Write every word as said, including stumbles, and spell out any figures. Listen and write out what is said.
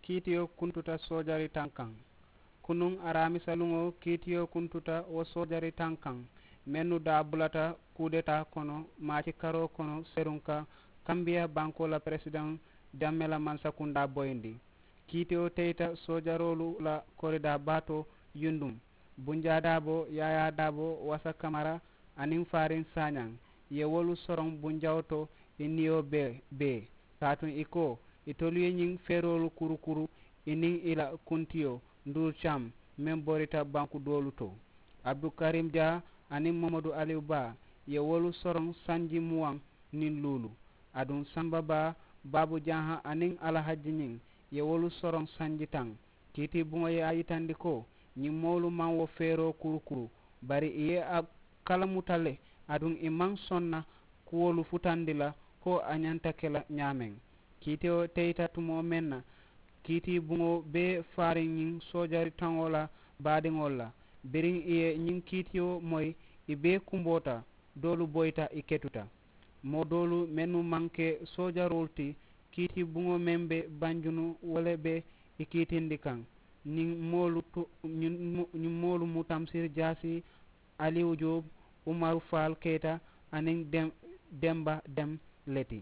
Kiitiyo kuntuta soojari taŋ kaŋ. Kunuŋ araamisa luŋo kiitiyo kuntuta wo soojari taŋ kaŋ, mennu daa bulata kuudetaa kono maaci karoo kono seruŋ ka kambiya bankoo la peresidaŋ jamme la mansakundaa boyindi. Kiitiyo teyita soojaroolu la koridaa baa to yundum. Bunjaa daabo, yaayaa daabo, wasa kamara, aniŋ faariŋ saañaŋ, i ye wolu soroŋ bunjawo to. I niyo bee bee kaatu i ko, itolu ye ñiŋ feeroolu kurukuru i niŋ i la kuntiyo nduuru cam meŋ borita banku doolu to. Abdukariim jaa aniŋ mamadu aliyu baa ye wolu soroŋ sanji muwaŋ niŋ luulu. Aduŋ samba baa, baabu janha aniŋ alahajji ñiŋ ye wolu soroŋ sanji taŋ. Kiiti buŋo ye a yitandi ko ñiŋ moolu maŋ wo feeroo kurukuru, bari i ye a kalamuta le. Aduŋ i maŋ sonna kuwolu futandi la ko a ñanta ke la ñaameŋ. Kiitiyo teyita tumoo meŋ na, kiiti buŋo bee faariŋ ñiŋ soojari taŋo la baadiŋolu la. Biriŋ i ye ñiŋ kiitiyo moyi, i bee kumboota, doolu boyita i ketuta. Moo doolu mennu maŋ ke soojaroolu ti, kiiti buŋo meŋ be banjunu wo le be i kiitindi kaŋ. Ñiŋ moolu tu ñiŋ moolu mu tamsiri jaasi, aliyu joob, umaru faal keyita, aniŋ demba dem le ti.